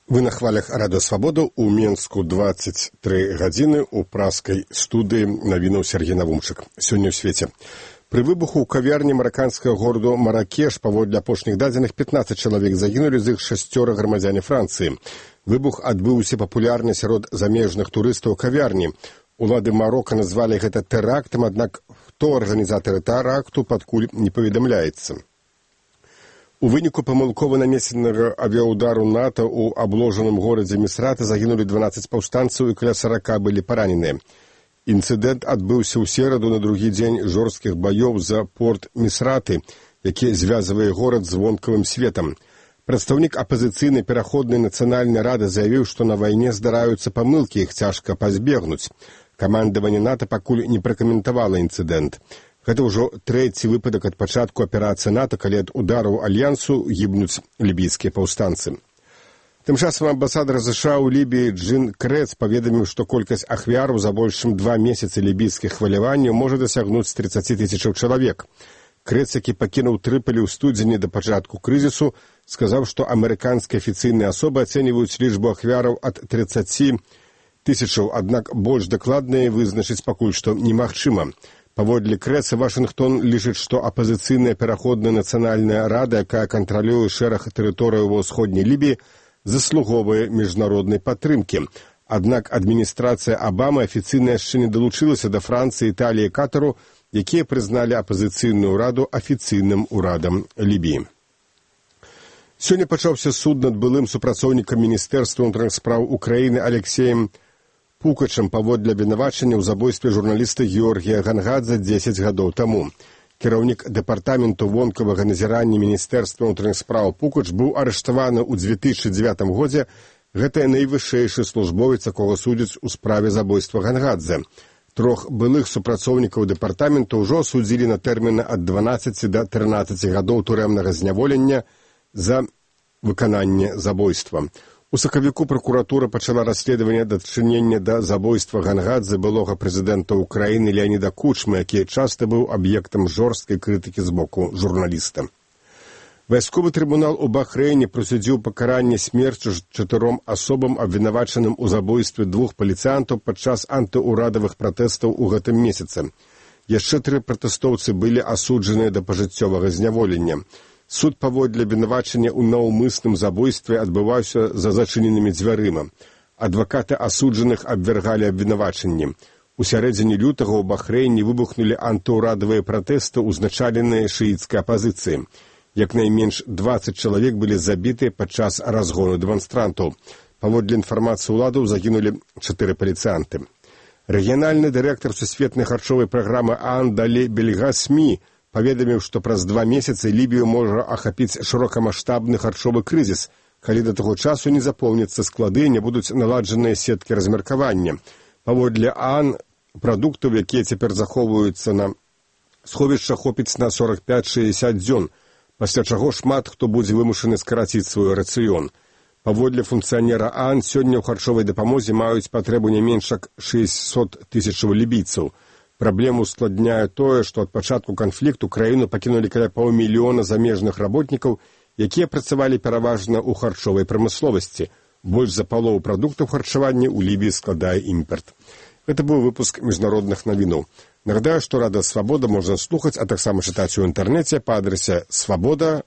Вы на хвалях Радыё Свабода ў Менску 23 гадзіны ў праскай студыі навінаў Сергей Навумчык. Сёння ў свеце. Пры выбуху ў кавярні мараканскага гораду Маракеш паводле апошніх дадзеных 15 чалавек загінулі, з іх 6 грамадзяне Францыі. Выбух адбыўся папулярны сярод замежных турыстаў кавярні. Улады Марока назвалі гэта тэрактам, аднак хто арганізатары тэракту пакуль не паведамляецца. У выніку памылкова нанесенага авіаудару НАТО ў абложаным горадзе Місрата загінулі 12 паўстанцаў і каля 40 былі параненыя. Інцыдэнт адбыўся ў сераду на другі дзень жорсткіх баёў за порт Місраты, які звязвае горад з вонкавым светам. Прадстаўнік апазіцыйнай пераходнай нацыянальнай рады заявіў, што на вайне здараюцца памылкі, іх цяжка пазбегнуць. Камандаванне НАТО пакуль не пракаментавала інцыдэнт. Гэта ўжо трэці выпадак ад пачатку аперацыі НАТО, калі ад удараў альянсу гібнуць лібійскія паўстанцы. Тым часам амбасадар США ў Лібіі Джин Крэц паведаміў, што колькасць ахвяраў за больш чым 2 месяцы лібійскіх хваляванняў можа дасягнуць 30 тысячаў чалавек. Крэц, які пакінуў Трыполі ў студзені да пачатку крызісу, сказаў, што амерыканскія афіцыйныя асобы ацэньваюць лічбу ахвяраў ад 30 тысячаў, аднак больш дакладна вызначыць пакуль што немагчыма. Паводле Крэца, Вашынгтон лічыць, што апазіцыйная пераходная нацыянальная рада, якая кантралюе шэраг тэрыторыяў ва ўсходняй Лібіі, заслуговае міжнароднай падтрымкі. Аднак адміністрацыя Абамы афіцыйна яшчэ не далучылася да Францыі, Італіі і Катару, якія прызналі апазіцыйную раду афіцыйным урадам Лібіі. Сёння пачаўся суд над былым супрацоўнікам Міністэрства ўнутраных спраў Украіны Алексеем Пукачам паводле абвінавачання ў забойстве журналіста Георгія Гангадзе 10 гадоў таму. Кіраўнік дэпартаменту вонкавага назірання Міністэрства ўнутраных спраў Пукач быў арыштаваны ў 2009 годзе. Гэта найвышэйшы службовец, якога судзяць у справе забойства Гангадзе. 3 былых супрацоўнікаў дэпартаменту ўжо судзілі на тэрміны ад 12 да 13 гадоў турэмнага зняволення за выкананне забойства. У сакавіку пракуратура пачала расследаванне дачынення да забойства Гангадзе былога прэзідэнта Украіны Леаніда Кучмы, які часта быў аб'ектам жорсткай крытыкі з боку журналіста. Вайсковы трыбунал у Бахрэйне прысудзіў пакаранне смерцю 4 асобам, абвінавачаным у забойстве 2 паліцыянтаў падчас антыурадавых пратэстаў у гэтым месяцы. Яшчэ 3 пратэстоўцы былі асуджаныя да пажыццёвага зняволення. Суд паводле абвінавачання ў наўмысным забойстве адбываўся за зачыненымі дзвярыма. Адвакаты асуджаных абвяргалі абвінавачанні. У сярэдзіне лютага ў Бахрэйне выбухнулі антыурадавыя пратэсты, узначаленыя шыіцкай апазіцыяй. Як найменш 20 чалавек былі забітыя падчас разгону дэманстрантаў. Паводле інфармацыі ўладаў загінулі 4 паліцыянты. Рэгіянальны дырэктар сусветнай харчовай праграмы ААН Далі Бельгасмі паведаміў, што праз 2 месяцы Лібію можа ахапіць шырокамаштабны харчовы крызіс, калі да таго часу не запоўняцца склады і не будуць наладжаныя сеткі размеркавання. Паводле ААН прадуктаў, якія цяпер захоўваюцца на сховішчах, хопіць на 45-60 дзён, пасля чаго шмат хто будзе вымушаны скараціць свой рацыён. Паводле функцыянера ААН сёння ў харчовай дапамозе маюць патрэбу не менш як 600 тысячаў лібійцаў. Праблему ускладняе тое, што ад пачатку канфлікту краіну пакінулі каля паўмільёна замежных работнікаў, якія працавалі пераважна ў харчовай прамысловасці. Больш за палову прадуктаў харчавання ў Лібіі складае імпарт. Гэта быў выпуск міжнародных навінаў. Нагадаю, што Радыё Свабода можна слухаць, а таксама чытаць у інтэрнэце па адрасе свабода.org.